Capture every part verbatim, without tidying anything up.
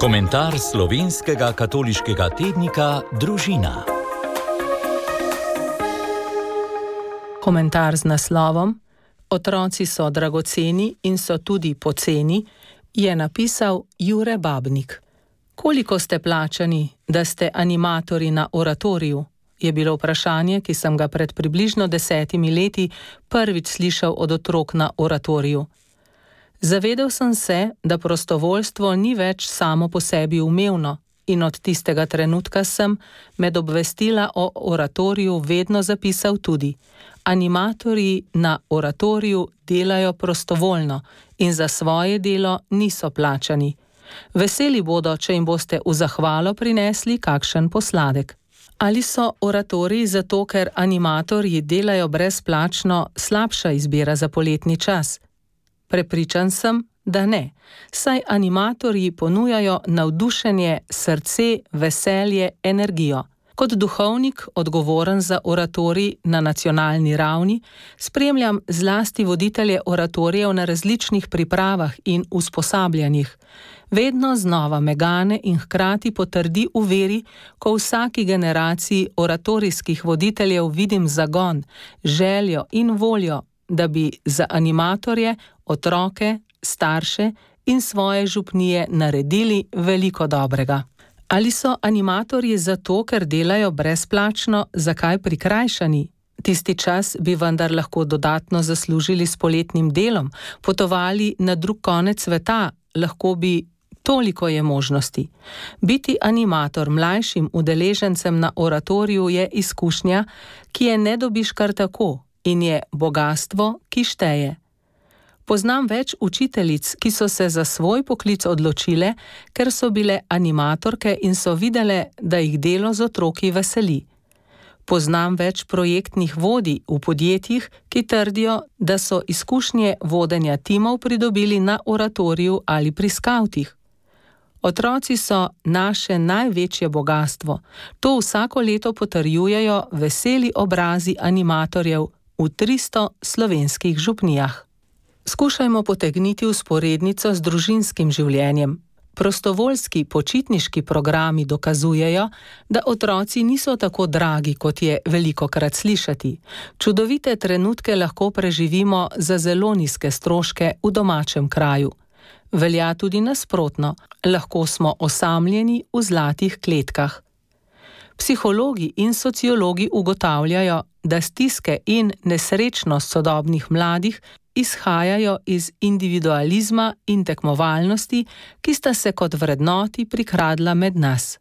Komentar slovenskega katoliškega tednika Družina. Komentar z naslovom Otroci so dragoceni in so tudi poceni je napisal Jure Babnik. Koliko ste plačani, da ste animatorji na oratoriju? Je bilo vprašanje, ki sem ga pred približno desetimi leti prvič slišal od otrok na oratoriju. Zavedel sem se, da prostovoljstvo ni več samo po sebi umevno in od tistega trenutka sem med obvestila o oratoriju vedno zapisal tudi: animatorji na oratoriju delajo prostovoljno in za svoje delo niso plačani. Veseli bodo, če jim boste v zahvalo prinesli kakšen posladek. Ali so oratoriji zato, ker animatorji delajo brezplačno, slabša izbira za poletni čas? Prepričan sem, da ne, saj animatorji ponujajo navdušenje, srce, veselje, energijo. Kot duhovnik, odgovoren za oratorij na nacionalni ravni, spremljam zlasti voditelje oratorijev na različnih pripravah in usposabljanjih. Vedno znova me gane in hkrati potrdi v veri, ko v vsaki generaciji oratorijskih voditeljev vidim zagon, željo in voljo, da bi za animatorje, otroke, starše in svoje župnije naredili veliko dobrega. Ali so animatorji zato, ker delajo brezplačno, zakaj prikrajšani? Tisti čas bi vendar lahko dodatno zaslužili s poletnim delom, potovali na drug konec sveta, lahko bi, toliko je možnosti. Biti animator mlajšim udeležencem na oratoriju je izkušnja, ki je ne dobiš kar tako in je bogastvo, ki šteje. Poznam več učiteljic, ki so se za svoj poklic odločile, ker so bile animatorke in so videle, da jih delo z otroki veseli. Poznam več projektnih vodij v podjetjih, ki trdijo, da so izkušnje vodenja timov pridobili na oratoriju ali pri skavtih. Otroci so naše največje bogastvo. To vsako leto potrjujejo veseli obrazi animatorjev v tristo slovenskih župnijah. Skušajmo potegniti vzporednico z družinskim življenjem. Prostovoljski počitniški programi dokazujejo, da otroci niso tako dragi, kot je velikokrat slišati. Čudovite trenutke lahko preživimo za zelo nizke stroške v domačem kraju. Velja tudi nasprotno, lahko smo osamljeni v zlatih kletkah. Psihologi in sociologi ugotavljajo, da stiske in nesrečnost sodobnih mladih izhajajo iz individualizma in tekmovalnosti, ki sta se kot vrednoti prikradla med nas.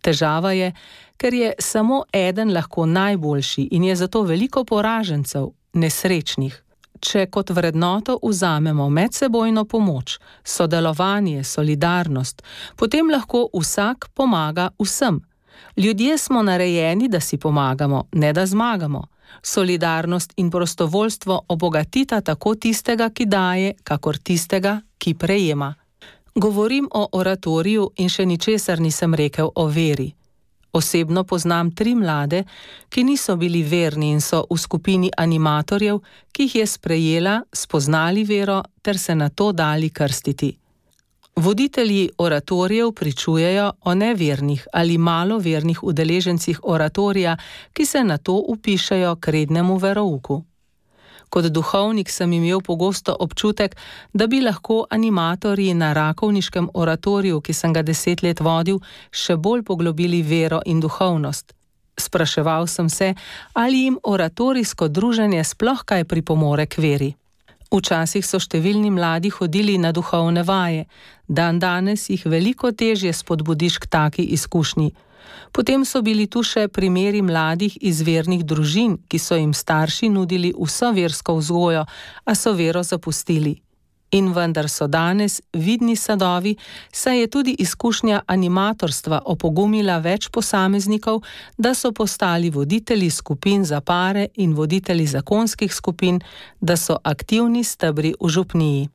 Težava je, ker je samo eden lahko najboljši in je zato veliko poražencev, nesrečnih. Če kot vrednoto vzamemo medsebojno pomoč, sodelovanje, solidarnost, potem lahko vsak pomaga vsem. Ljudje smo narejeni, da si pomagamo, ne da zmagamo. Solidarnost in prostovoljstvo obogatita tako tistega, ki daje, kakor tistega, ki prejema. Govorim o oratoriju in še ničesar nisem rekel o veri. Osebno poznam tri mlade, ki niso bili verni in so v skupini animatorjev, ki jih je sprejela, spoznali vero ter se nato dali krstiti. Voditelji oratorijev pričujejo o nevernih ali malo vernih udeležencih oratorija, ki se nato upišejo k rednemu verouku. Kot duhovnik sem imel pogosto občutek, da bi lahko animatorji na rakovniškem oratoriju, ki sem ga deset let vodil, še bolj poglobili vero in duhovnost. Spraševal sem se, ali jim oratorijsko druženje sploh kaj pripomore k veri. Včasih so številni mladi hodili na duhovne vaje, dan danes jih veliko težje spodbudiš k taki izkušnji. Potem so bili tu še primeri mladih iz vernih družin, ki so jim starši nudili vso versko vzgojo, a so vero zapustili. In vendar so danes vidni sadovi, saj je tudi izkušnja animatorstva opogumila več posameznikov, da so postali voditelji skupin za pare in voditelji zakonskih skupin, da so aktivni stebri v župniji.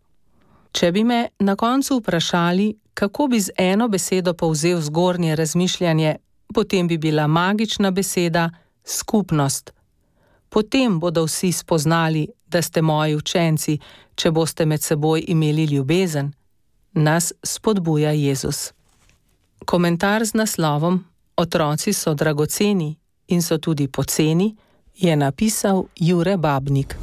Če bi me na koncu vprašali, kako bi z eno besedo povzel zgornje razmišljanje, potem bi bila magična beseda skupnost. Potem bodo vsi spoznali, da ste moji učenci, če boste med seboj imeli ljubezen. Nas spodbuja Jezus. Komentar z naslovom Otroci so dragoceni in so tudi poceni je napisal Jure Babnik.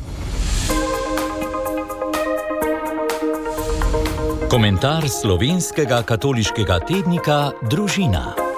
Komentar slovenskega katoliškega tednika Družina.